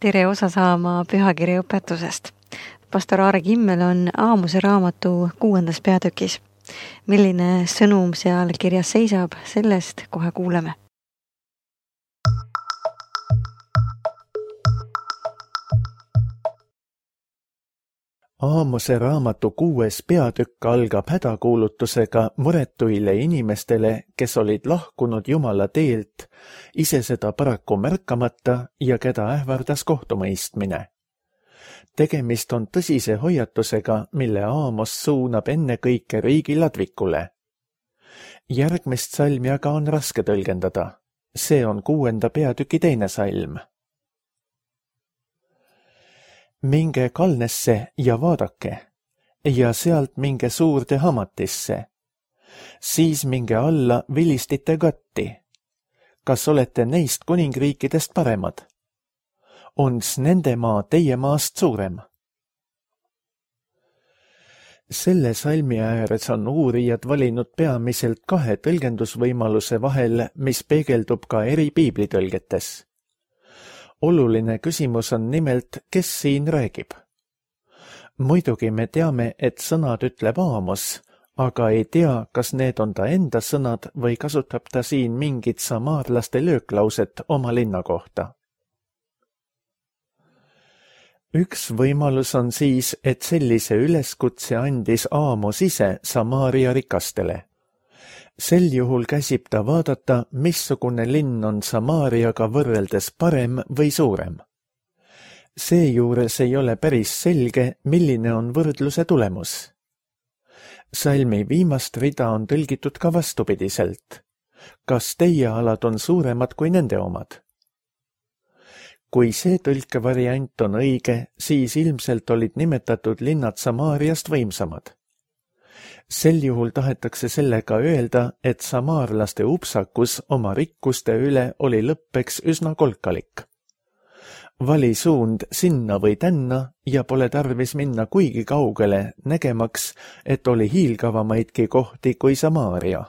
Tere osa saama pühakirja õpetusest. Pastor Aare Kimmel on Aamose raamatu 6. peatükis. Milline sõnum seal kirjas seisab, sellest kohe kuuleme. Aamose raamatu 6. peatükk algab hädakuulutusega muretuile inimestele, kes olid lahkunud Jumala teelt, ise seda paraku märkamata ja keda ähvardas kohtumõistmine. Tegemist on tõsise hoiatusega, mille Aamos suunab ennekõike riigi ladvikule. Järgmist salmi aga on raske tõlgendada. See on 6. peatüki 2. salm. Minge Kalnesse ja vaadake, ja sealt minge suurde Hamatisse. Siis minge alla vilistite Gatti. Kas olete neist kuningriikidest paremad? Ons nende maa teie maast suurem? Selle salmi ääres on uurijad valinud peamiselt 2 tõlgendusvõimaluse vahel, mis peegeldub ka eri piiblitõlgetes. Oluline küsimus on nimelt, kes siin räägib. Muidugi me teame, et sõnad ütleb Aamos, aga ei tea, kas need on ta enda sõnad või kasutab ta siin mingit samaarlaste lööklauset oma linna kohta. Üks võimalus on siis, et sellise üleskutse andis Aamos ise Samaaria rikastele. Sel juhul käsib ta vaadata, missugune linn on Samaariaga võrreldes parem või suurem. Seejuures ei ole päris selge, milline on võrdluse tulemus. Salmi viimast rida on tõlgitud ka vastupidiselt. Kas teie alad on suuremad kui nende omad? Kui see tõlkevariant on õige, siis ilmselt olid nimetatud linnad Samaariast võimsamad. Sel juhul tahetakse sellega öelda, et samaarlaste upsakus oma rikkuste üle oli lõppeks üsna kolkalik. Vali suund sinna või tänna ja pole tarvis minna kuigi kaugele, nägemaks, et oli hiilgavamaidki kohti kui Samaaria.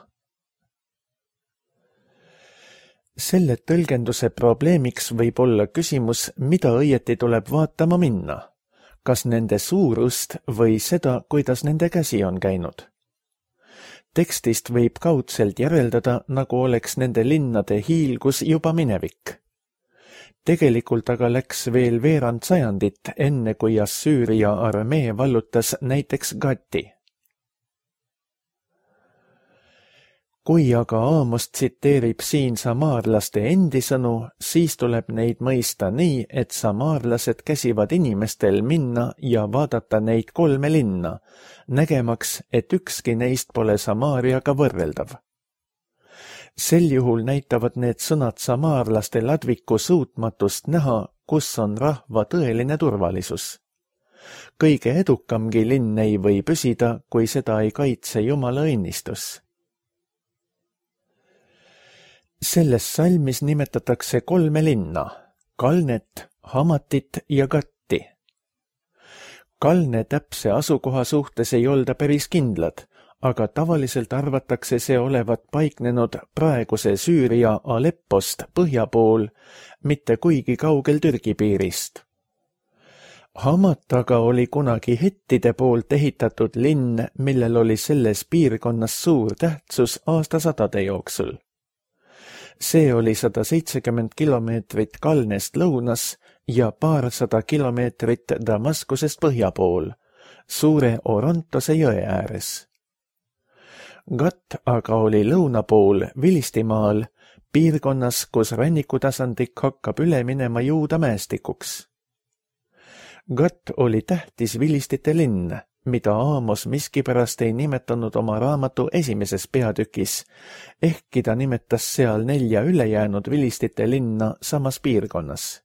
Selle tõlgenduse probleemiks võib olla küsimus, mida õieti tuleb vaatama minna. Kas nende suurust või seda, kuidas nende käsi on käinud. Tekstist võib kaudselt järeldada, nagu oleks nende linnade hiilgus juba minevik. Tegelikult aga läks veel veerand sajandit, enne kui Assüüria armee vallutas näiteks Gati. Kui aga Aamos tsiteerib siin samaarlaste endi sõnu, siis tuleb neid mõista nii, et samaarlased käsivad inimestel minna ja vaadata neid 3 linna, nägemaks, et ükski neist pole Samaariaga võrreldav. Sel juhul näitavad need sõnad samaarlaste ladviku suutmatust näha, kus on rahva tõeline turvalisus. Kõige edukamgi linn ei või püsida, kui seda ei kaitse Jumala õnnistus. Selles salmis nimetatakse 3 linna, Kalnet, Hamatit ja Gatti. Kalne täpse asukoha suhtes ei olda päris kindlad, aga tavaliselt arvatakse see olevat paiknenud praeguse Süüria Aleppost põhja pool, mitte kuigi kaugel Türgi piirist. Hamat aga oli kunagi hettide poolt ehitatud linn, millel oli selles piirkonnas suur tähtsus aastasadade jooksul. See oli 170 kilomeetrit Kalnest lõunas ja paarsada kilomeetrit Damaskusest põhja pool, suure Orontose jõe ääres. Gat aga oli lõuna pool Vilistimaal, piirkonnas, kus rännikutasandik hakkab üle minema Juuda mäestikuks. Gat oli tähtis vilistite linn, mida Aamos miskipärast ei nimetanud oma raamatu 1. peatükis, ehkki ta nimetas seal 4 ülejäänud vilistite linna samas piirkonnas.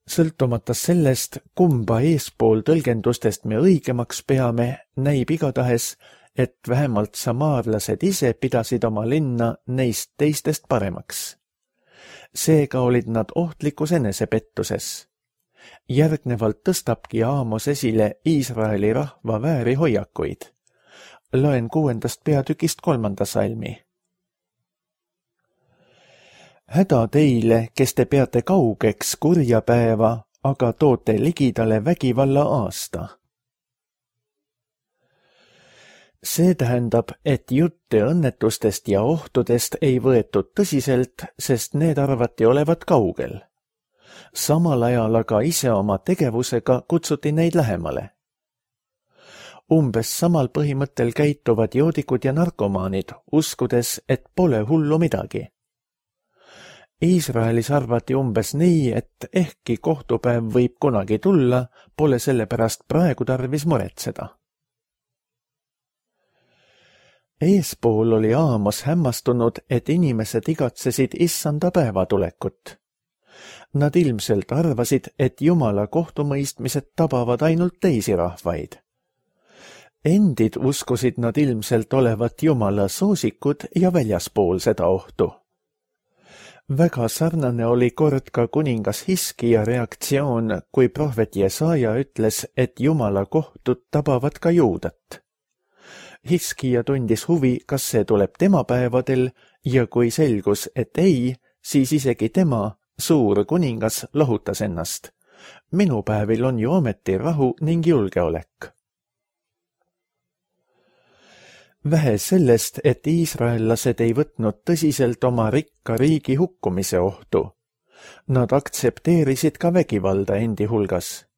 Sõltumata sellest, kumba eespool tõlgendustest me õigemaks peame, näib igatahes, et vähemalt samaarlased ise pidasid oma linna neist teistest paremaks. Seega olid nad ohtlikus enesepettuses. Järgnevalt tõstabki Aamos esile Iisraeli rahva vääri hoiakuid. Loen 6. peatükist 3. salmi. häda teile, kes te peate kaugeks kurja päeva, aga toote ligidale vägivalla aasta. See tähendab, et jutte õnnetustest ja ohtudest ei võetud tõsiselt, sest need arvati olevat kaugel. Samal ajal aga ise oma tegevusega kutsuti neid lähemale. Umbes samal põhimõttel käituvad joodikud ja narkomaanid, uskudes, et pole hullu midagi. Iisraelis arvati umbes nii, et ehkki kohtupäev võib kunagi tulla, pole selle pärast praegu tarvis muretseda. Eespool oli Aamos hämmastunud, et inimesed igatsesid issanda päeva tulekut. Nad ilmselt arvasid, et Jumala kohtumõistmised tabavad ainult teisi rahvaid. Endid uskusid nad ilmselt olevat Jumala soosikud ja väljaspool seda ohtu. Väga sarnane oli kord ka kuningas Hiskija reaktsioon, kui prohvet Jesaja ütles, et Jumala kohtud tabavad ka juudat. Hiskija tundis huvi, kas see tuleb tema päevadel ja kui selgus, et ei, siis isegi tema, suur kuningas, lohutas ennast. Minu päevil on ju ometi rahu ning julgeolek. Vähe sellest, et iisraellased ei võtnud tõsiselt oma rikka riigi hukkumise ohtu. Nad aktsepteerisid ka vägivalda endi hulgas.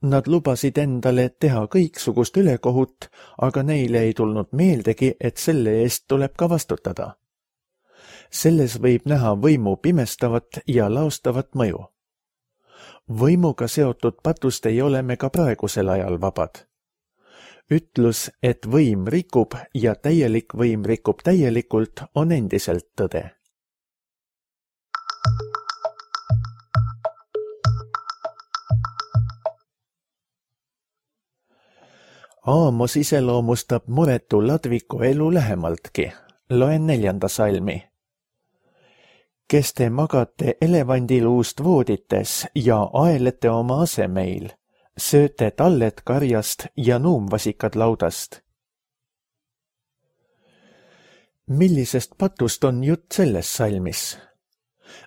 Nad lubasid endale teha kõiksugust ülekohut, aga neile ei tulnud meeldegi, et selle eest tuleb ka vastutada. Selles võib näha võimu pimestavat ja laostavat mõju. Võimuga seotud patust ei ole me ka praegusel ajal vabad. Ütlus, et võim rikub ja täielik võim rikub täielikult, on endiselt tõde. Aamos iseloomustab muretu ladviku elu lähemaltki. Loen 4. salmi. Kes te magate elevandiluust voodites ja aelete oma asemeil, sööte tallet karjast ja nuumvasikad laudast. Millisest patust on jutt selles salmis?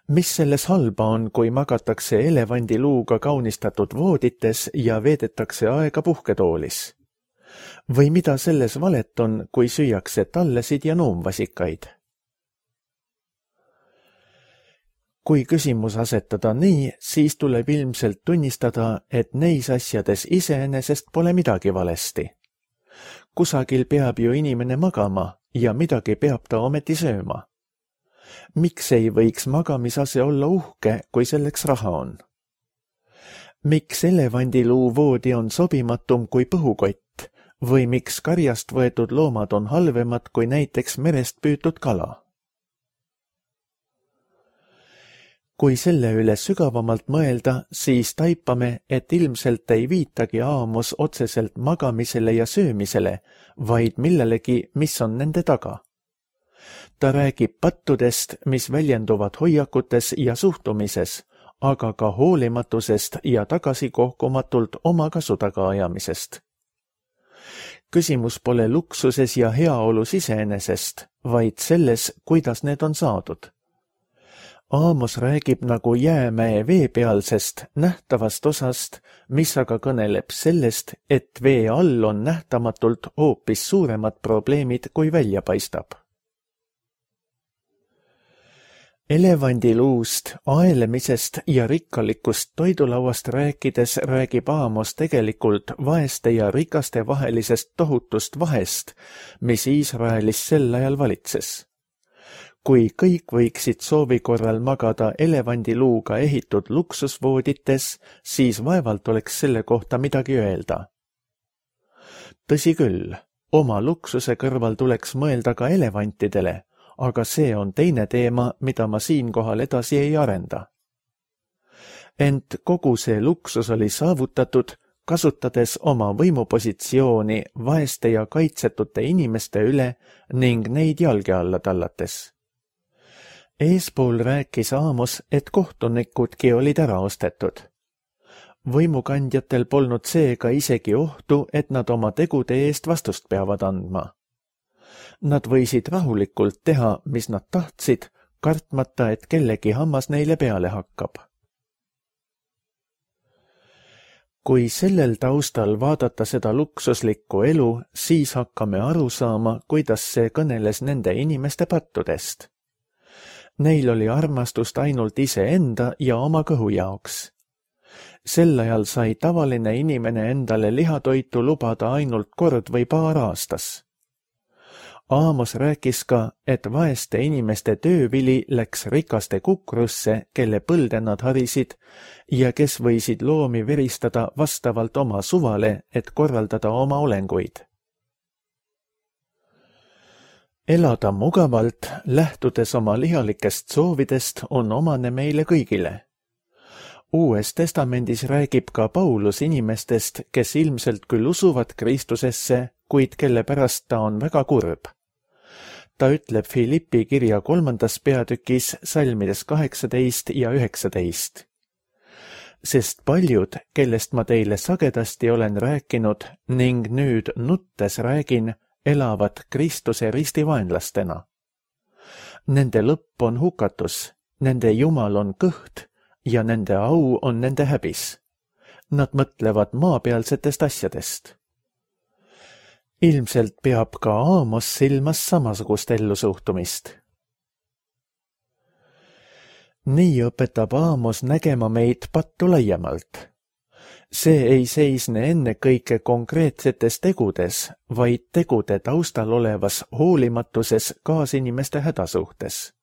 Mis selles halba on, kui magatakse elevandiluuga kaunistatud voodites ja veedetakse aega puhketoolis? Või mida selles valet on, kui süüakse tallesid ja nuumvasikaid? Kui küsimus asetada nii, siis tuleb ilmselt tunnistada, et neis asjades iseenesest pole midagi valesti. Kusagil peab ju inimene magama ja midagi peab ta ometi sööma. Miks ei võiks magamisase olla uhke, kui selleks raha on? Miks elevandiluu voodi on sobimatum kui põhukott või miks karjast võetud loomad on halvemad kui näiteks merest püütud kala? Kui selle üle sügavamalt mõelda, siis taipame, et ilmselt ei viitagi Aamos otseselt magamisele ja söömisele, vaid millelegi, mis on nende taga. Ta räägib pattudest, mis väljenduvad hoiakutes ja suhtumises, aga ka hoolimatusest ja tagasikohkumatult oma kasu tagaajamisest. Küsimus pole luksuses ja heaolus iseenesest, vaid selles, kuidas need on saadud. Aamos räägib nagu jäämäe veepealsest, nähtavast osast, mis aga kõneleb sellest, et vee all on nähtamatult hoopis suuremad probleemid, kui välja paistab. Elevandiluust, aelemisest ja rikkalikust toidulauast rääkides räägib Aamos tegelikult vaeste ja rikaste vahelisest tohutust vahest, mis Iisraelis sel ajal valitses. Kui kõik võiksid soovi korral magada elevandiluuga ehitud luksusvoodites, siis vaevalt oleks selle kohta midagi öelda. Tõsi küll, oma luksuse kõrval tuleks mõelda ka elevantidele, aga see on teine teema, mida ma siinkohal edasi ei arenda. Ent kogu see luksus oli saavutatud, kasutades oma võimupositsiooni vaeste ja kaitsetute inimeste üle ning neid jalge alla tallates. Eespool rääkis Aamos, et kohtunikudki olid ära ostetud. Võimukandjatel polnud seega isegi ohtu, et nad oma tegude eest vastust peavad andma. Nad võisid rahulikult teha, mis nad tahtsid, kartmata, et kellegi hammas neile peale hakkab. Kui sellel taustal vaadata seda luksuslikku elu, siis hakkame aru saama, kuidas see kõneles nende inimeste pattudest. Neil oli armastust ainult iseenda ja oma kõhu jaoks. Sel ajal sai tavaline inimene endale lihatoitu lubada ainult kord või paar aastas. Aamos rääkis ka, et vaeste inimeste töövili läks rikaste kukrusse, kelle põlde nad harisid ja kes võisid loomi veristada vastavalt oma suvale, et korraldada oma olenguid. Elada mugavalt, lähtudes oma lihalikest soovidest, on omane meile kõigile. Uues testamendis räägib ka Paulus inimestest, kes ilmselt küll usuvad Kristusesse, kuid kelle pärast ta on väga kurb. Ta ütleb Filippi kirja 3. peatükis salmides 18 ja 19. Sest paljud, kellest ma teile sagedasti olen rääkinud ning nüüd nuttes räägin, elavad Kristuse ristivaenlastena. Nende lõpp on hukatus, nende jumal on kõht ja nende au on nende häbis. Nad mõtlevad maapealsetest asjadest. Ilmselt peab ka Aamos silmas samasugust ellusuhtumist. Nii õpetab Aamos nägema meid pattu laiemalt. See ei seisne ennekõike konkreetsetes tegudes, vaid tegude taustal olevas hoolimatuses kaasinimeste hädasuhtes.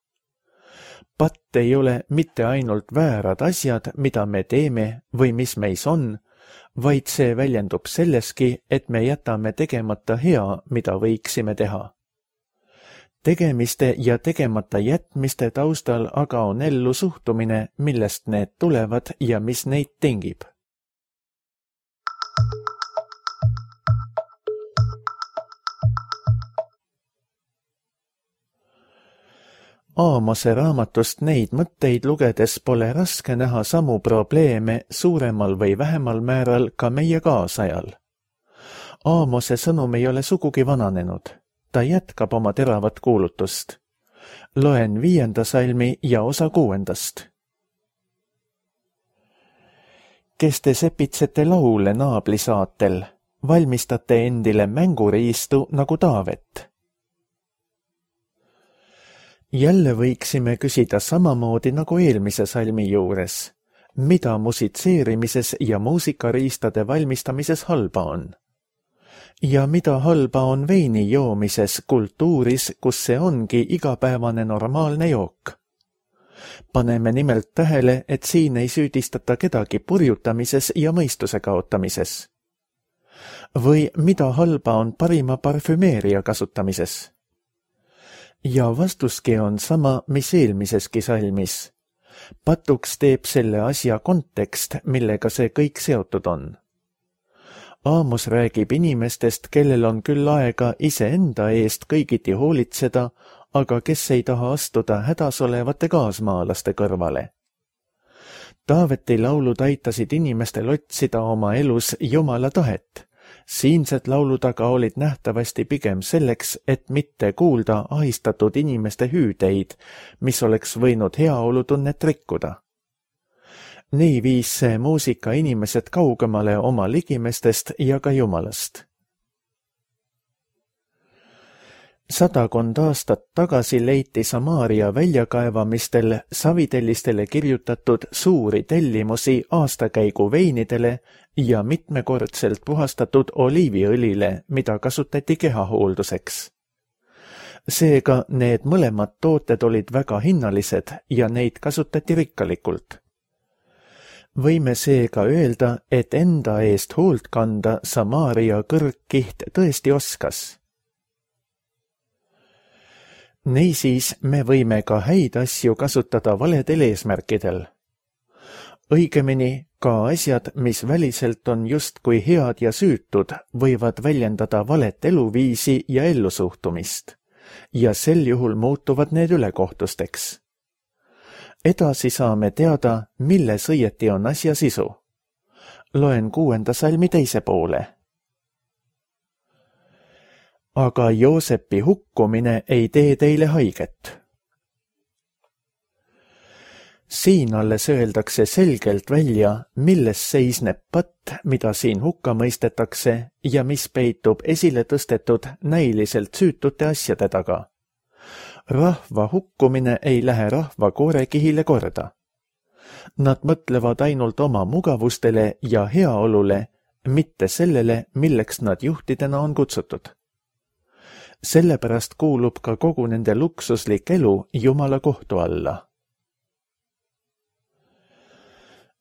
Patt ei ole mitte ainult väärad asjad, mida me teeme või mis meis on, vaid see väljendub selleski, et me jätame tegemata hea, mida võiksime teha. Tegemiste ja tegemata jätmiste taustal aga on ellu suhtumine, millest need tulevad ja mis neid tingib. Aamose raamatust neid mõtteid lugedes pole raske näha samu probleeme suuremal või vähemal määral ka meie kaasajal. Aamose sõnum ei ole sugugi vananenud. Ta jätkab oma teravat kuulutust. Loen 5. salmi ja osa 6. Kes te sepitsete laule naabli saatel, valmistate endile mänguriistu nagu Taavet. Jälle võiksime küsida samamoodi nagu eelmise salmi juures, mida musitseerimises ja muusikariistade valmistamises halba on. Ja mida halba on veini joomises kultuuris, kus see ongi igapäevane normaalne jook. Paneme nimelt tähele, et siin ei süüdistata kedagi purjutamises ja mõistuse kaotamises. Või mida halba on parima parfümeeria kasutamises. Ja vastuski on sama, mis eelmiseski salmis. Patuks teeb selle asja kontekst, millega see kõik seotud on. Aamos räägib inimestest, kellel on küll aega iseenda eest kõigiti hoolitseda, aga kes ei taha astuda hädas olevate kaasmaalaste kõrvale. Taaveti laulud aitasid inimestel otsida oma elus Jumala tahet. Siinsed laulud aga olid nähtavasti pigem selleks, et mitte kuulda ahistatud inimeste hüüdeid, mis oleks võinud heaolutunnet rikkuda. Nii viis see muusika inimesed kaugemale oma ligimestest ja ka Jumalast. 100 aastat tagasi leiti Samaaria väljakaevamistel savitellistele kirjutatud suuri tellimusi aastakäigu veinidele ja mitmekordselt puhastatud oliiviõlile, mida kasutati kehahoolduseks. Seega need mõlemad tooted olid väga hinnalised ja neid kasutati rikkalikult. Võime seega öelda, et enda eest hoolt kanda Samaaria kõrgkiht tõesti oskas. Niisiis me võime ka häid asju kasutada valedel eesmärkidel. Õigemini, ka asjad, mis väliselt on justkui head ja süütud, võivad väljendada valet eluviisi ja ellusuhtumist, ja sel juhul muutuvad need ülekohtusteks. Edasi saame teada, milles õieti on asja sisu. Loen 6. salmi teise poole. Aga Joosepi hukkumine ei tee teile haiget. Siin alles öeldakse selgelt välja, milles seisneb patt, mida siin hukka mõistetakse ja mis peitub esile tõstetud näiliselt süütute asjade taga. Rahva hukkumine ei lähe rahva koorekihile korda. Nad mõtlevad ainult oma mugavustele ja heaolule, mitte sellele, milleks nad juhtidena on kutsutud. Sellepärast kuulub ka kogu nende luksuslik elu Jumala kohtu alla.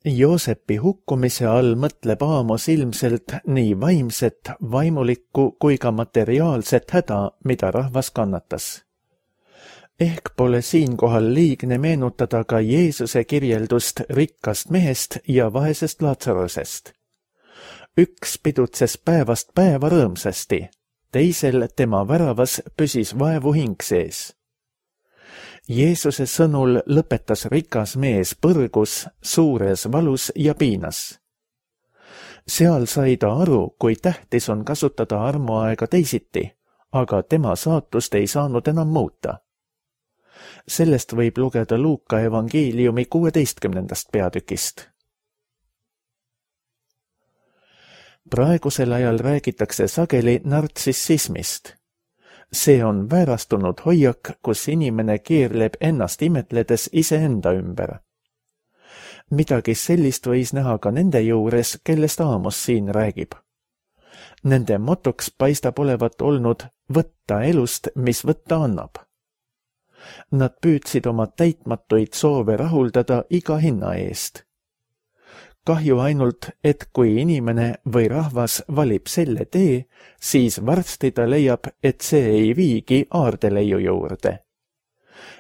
Joosepi hukkumise all mõtleb Aamos ilmselt nii vaimset, vaimulikku kui ka materiaalset häda, mida rahvas kannatas. Ehk pole siinkohal liigne meenutada ka Jeesuse kirjeldust rikkast mehest ja vaesest Laatsarusest. Üks pidutses päevast päeva rõõmsasti, teisel tema väravas püsis vaevu hing sees. Jeesuse sõnul lõpetas rikas mees põrgus, suures valus ja piinas. Seal sai ta aru, kui tähtis on kasutada armuaega teisiti, aga tema saatust ei saanud enam muuta. Sellest võib lugeda Luuka evangeeliumi 16. peatükist. Praegusel ajal räägitakse sageli nartsissismist. See on väärastunud hoiak, kus inimene keerleb ennast imetledes iseenda ümber. Midagi sellist võis näha ka nende juures, kellest Aamos siin räägib. Nende motoks paistab olevat olnud võtta elust, mis võtta annab. Nad püüdsid oma täitmatuid soove rahuldada iga hinna eest. Kahju ainult, et kui inimene või rahvas valib selle tee, siis varsti ta leiab, et see ei viigi aardeleiu juurde.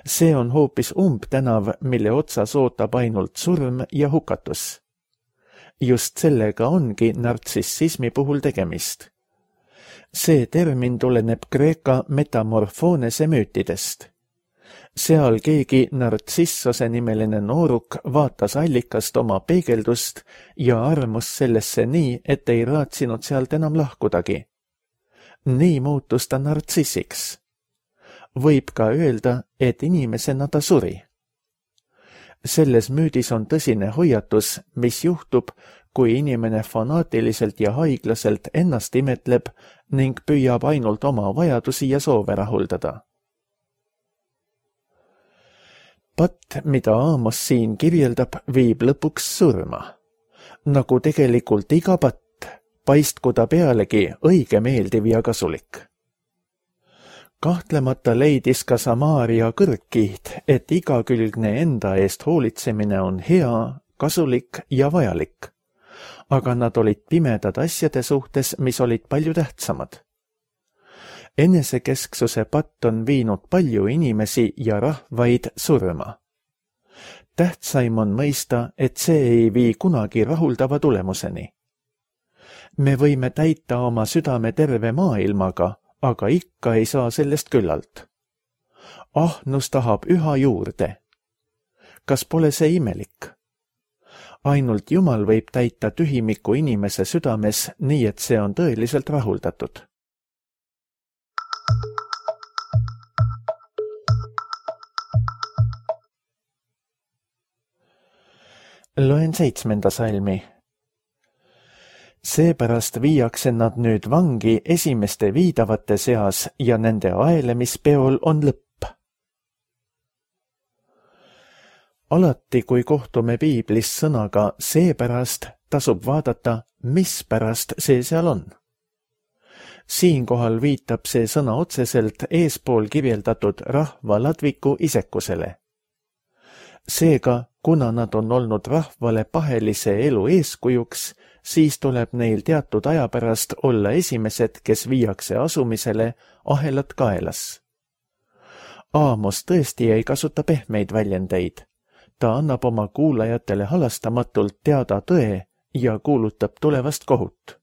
See on hoopis umbtänav, mille otsas ootab ainult surm ja hukatus. Just sellega ongi nartsissismi puhul tegemist. See termin tuleneb Kreeka metamorfoonese müütidest. Seal keegi nartsissose nimeline nooruk vaatas allikast oma peegeldust ja armus sellesse nii, et ei raatsinud sealt enam lahkudagi. Nii muutus ta nartsissiks. Võib ka öelda, et inimesena ta suri. Selles müüdis on tõsine hoiatus, mis juhtub, kui inimene fanaatiliselt ja haiglaselt ennast imetleb ning püüab ainult oma vajadusi ja soove rahuldada. Patt, mida Aamos siin kirjeldab, viib lõpuks surma. Nagu tegelikult iga patt, paistku ta pealegi õige meeldiv ja kasulik. Kahtlemata leidis ka Samaaria kõrgkiht, et igakülgne enda eest hoolitsemine on hea, kasulik ja vajalik. Aga nad olid pimedad asjade suhtes, mis olid palju tähtsamad. Enesekesksuse patt on viinud palju inimesi ja rahvaid surma. Tähtsaim on mõista, et see ei vii kunagi rahuldava tulemuseni. Me võime täita oma südame terve maailmaga, aga ikka ei saa sellest küllalt. Ahnus tahab üha juurde. Kas pole see imelik? Ainult Jumal võib täita tühimiku inimese südames nii, et see on tõeliselt rahuldatud. Loen 7. salmi. Seepärast viiakse nad nüüd vangi esimeste viidavate seas ja nende aelemispeol on lõpp. Alati, kui kohtume piiblis sõnaga seepärast, tasub vaadata, mispärast see seal on. Siinkohal viitab see sõna otseselt eespool kirjeldatud rahva ladviku isekusele. Seega, kuna nad on olnud rahvale pahelise elu eeskujuks, siis tuleb neil teatud aja pärast olla esimesed, kes viiakse asumisele ahelad kaelas. Aamos tõesti ei kasuta pehmeid väljendeid. Ta annab oma kuulajatele halastamatult teada tõe ja kuulutab tulevast kohut.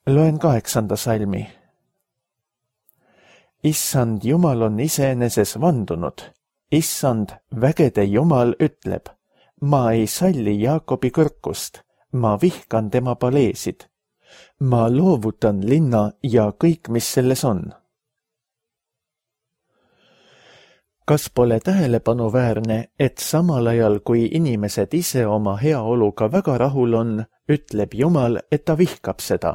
Loen 8. salmi. Issand Jumal on iseeneses vandunud. Issand, vägede Jumal ütleb, ma ei salli Jaakobi kõrkust, ma vihkan tema paleesid. Ma loovutan linna ja kõik, mis selles on. Kas pole tähelepanuväärne, et samal ajal, kui inimesed ise oma heaoluga väga rahul on, ütleb Jumal, et ta vihkab seda.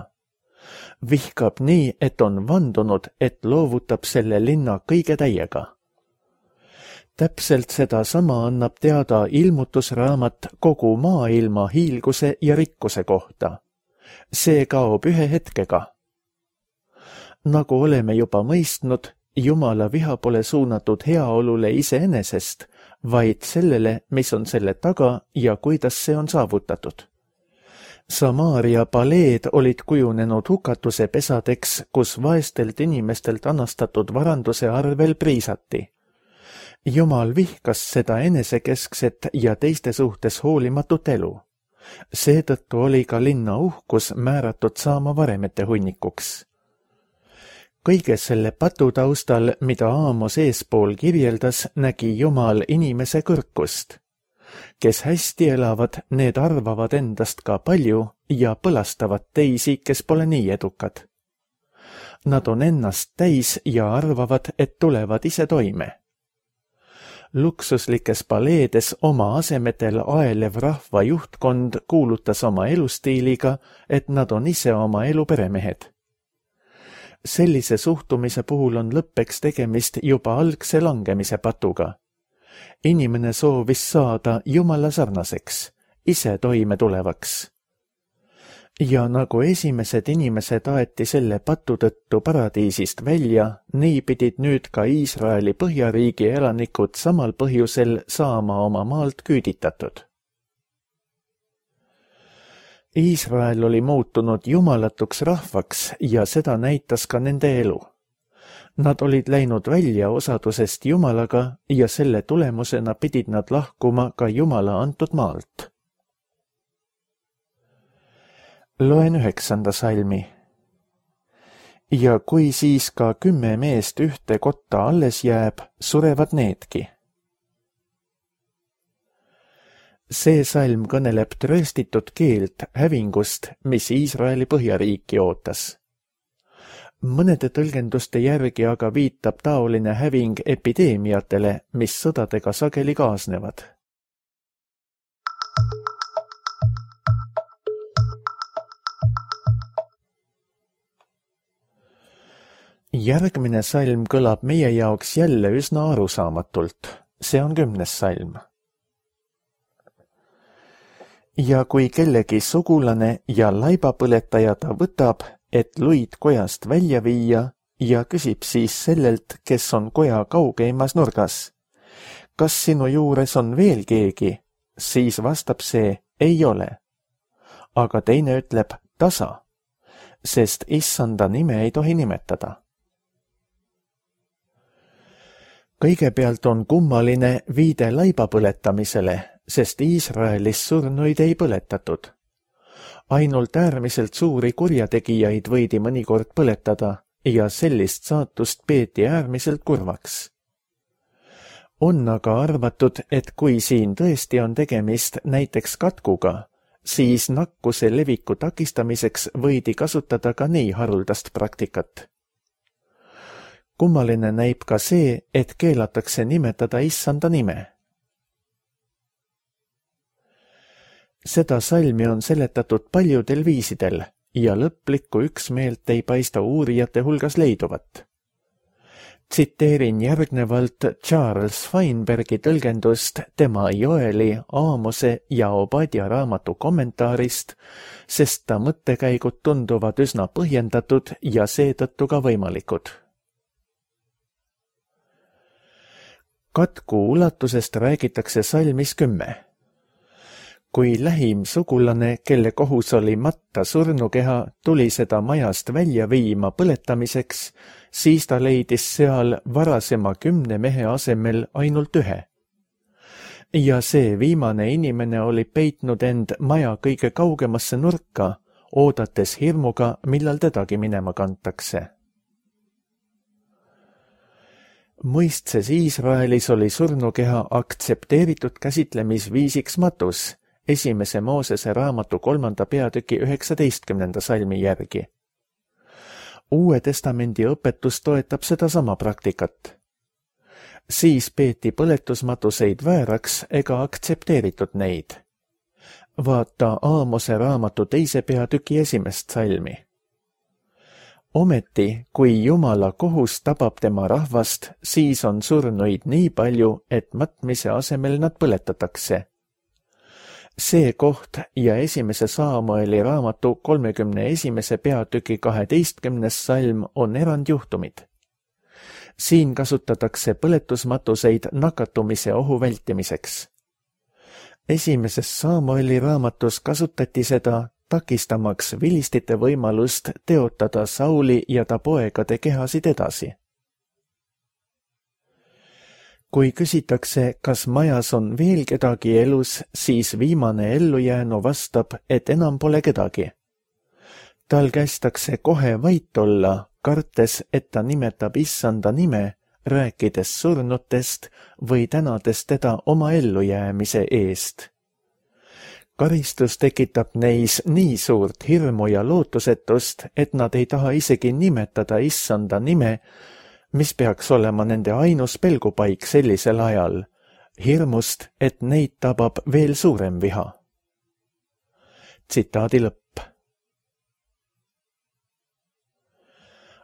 Vihkab nii, et on vandunud, et loovutab selle linna kõige täiega. Täpselt sedasama annab teada ilmutusraamat kogu maailma hiilguse ja rikkuse kohta. See kaob ühe hetkega. Nagu oleme juba mõistnud, Jumala viha pole suunatud heaolule iseenesest, vaid sellele, mis on selle taga ja kuidas see on saavutatud. Samaaria paleed olid kujunenud hukatuse pesadeks, kus vaestelt inimestelt anastatud varanduse arvel priisati. Jumal vihkas seda enesekeskset ja teiste suhtes hoolimatut elu. Seetõttu oli ka linna uhkus määratud saama varemete hunnikuks. Kõige selle patu taustal, mida Aamos eespool kirjeldas, nägi Jumal inimese kõrkust. Kes hästi elavad, need arvavad endast ka palju ja põlastavad teisi, kes pole nii edukad. Nad on ennast täis ja arvavad, et tulevad ise toime. Luksuslikes paleedes oma asemetel aelev rahva juhtkond kuulutas oma elustiiliga, et nad on ise oma elu peremehed. Sellise suhtumise puhul on lõppeks tegemist juba algse langemise patuga. Inimene soovis saada Jumala sarnaseks, ise toime tulevaks. Ja nagu esimesed inimesed aeti selle patu tõttu paradiisist välja, nii pidid nüüd ka Iisraeli põhjariigi elanikud samal põhjusel saama oma maalt küüditatud. Iisrael oli muutunud jumalatuks rahvaks ja seda näitas ka nende elu. Nad olid läinud välja osadusest Jumalaga ja selle tulemusena pidid nad lahkuma ka Jumala antud maalt. Loen 9. salmi. Ja kui siis ka 10 meest ühte kotta alles jääb, surevad needki. See salm kõneleb trööstitud keelt hävingust, mis Iisraeli põhjariiki ootas. Mõnede tõlgenduste järgi aga viitab taoline häving epideemiatele, mis sõdadega sageli kaasnevad. Järgmine salm kõlab meie jaoks jälle üsna arusaamatult. See on 10. salm. Ja kui kellegi sugulane ja laibapõletaja ta võtab, et luid kojast välja viia ja küsib siis sellelt, kes on koja kaugeimas nurgas. Kas sinu juures on veel keegi? Siis vastab see, ei ole. Aga teine ütleb tasa, sest issanda nime ei tohi nimetada. Kõigepealt on kummaline viide laibapõletamisele, sest Iisraelis surnuid ei põletatud. Ainult äärmiselt suuri kurjategijaid võidi mõnikord põletada ja sellist saatust peeti äärmiselt kurvaks. On aga arvatud, et kui siin tõesti on tegemist näiteks katkuga, siis nakkuse leviku takistamiseks võidi kasutada ka nii haruldast praktikat. Kummaline näib ka see, et keelatakse nimetada issanda nime. Seda salmi on seletatud paljudel viisidel ja lõplikku üksmeelt ei paista uurijate hulgas leiduvat. Tsiteerin järgnevalt Charles Feinbergi tõlgendust tema Joeli, Aamose ja Obadja raamatu kommentaarist, sest ta mõttekäigud tunduvad üsna põhjendatud ja seetõttu ka võimalikud. Katku ulatusest räägitakse salmis 10. Kui lähim sugulane, kelle kohus oli matta surnukeha, tuli seda majast välja viima põletamiseks, siis ta leidis seal varasema 10 mehe asemel ainult 1. Ja see viimane inimene oli peitnud end maja kõige kaugemasse nurka, oodates hirmuga, millal tedagi minema kantakse. Mõistses Iisraelis oli surnukeha aktsepteeritud käsitlemisviisiks matus, 1. Moosese raamatu 3. peatüki 19. salmi järgi. Uue testamendi õpetus toetab sedasama praktikat. Siis peeti põletusmatuseid vääraks ega aktsepteeritud neid. Vaata Aamose raamatu 2. peatüki 1. salmi. Ometi, kui Jumala kohus tabab tema rahvast, siis on surnuid nii palju, et matmise asemel nad põletatakse. See koht ja 1. Saamueli raamatu 31. peatüki 12. salm on erandjuhtumid. Siin kasutatakse põletusmatuseid nakatumise ohu vältimiseks. 1. Saamueli raamatus kasutati seda takistamaks vilistite võimalust teotada Sauli ja ta poegade kehasid edasi. Kui küsitakse, kas majas on veel kedagi elus, siis viimane ellujäänu vastab, et enam pole kedagi. Tal kästakse kohe vait olla, kartes, et ta nimetab Issanda nime, rääkides surnutest või tänades teda oma ellujäämise eest. Karistus tekitab neis nii suurt hirmu ja lootusetust, et nad ei taha isegi nimetada Issanda nime, mis peaks olema nende ainus pelgupaik sellisel ajal, hirmust, et neid tabab veel suurem viha. Tsitaadi lõpp.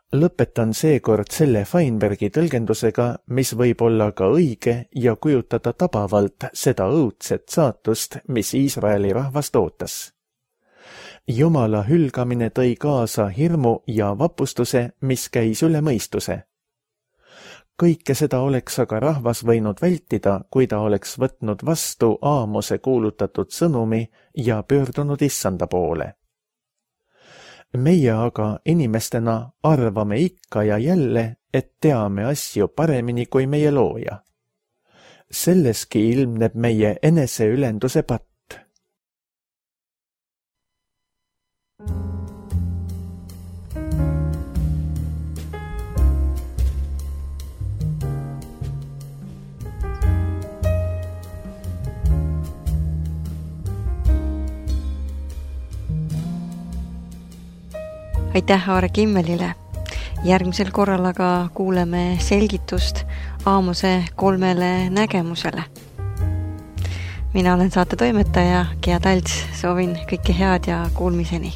Lõpetan seekord selle Feinbergi tõlgendusega, mis võib olla ka õige ja kujutada tabavalt seda õudset saatust, mis Iisraeli rahvast ootas. Jumala hülgamine tõi kaasa hirmu ja vapustuse, mis käis üle mõistuse. Kõike seda oleks aga rahvas võinud vältida, kui ta oleks võtnud vastu Aamose kuulutatud sõnumi ja pöördunud Issanda poole. Meie aga inimestena arvame ikka ja jälle, et teame asju paremini kui meie looja. Selleski ilmneb meie eneseülenduse patt. Aitäh Aare Kimmelile. Järgmisel korral aga kuuleme selgitust Aamose 3 nägemusele. Mina olen saate toimetaja Gea Talts, soovin kõike head ja kuulmiseni.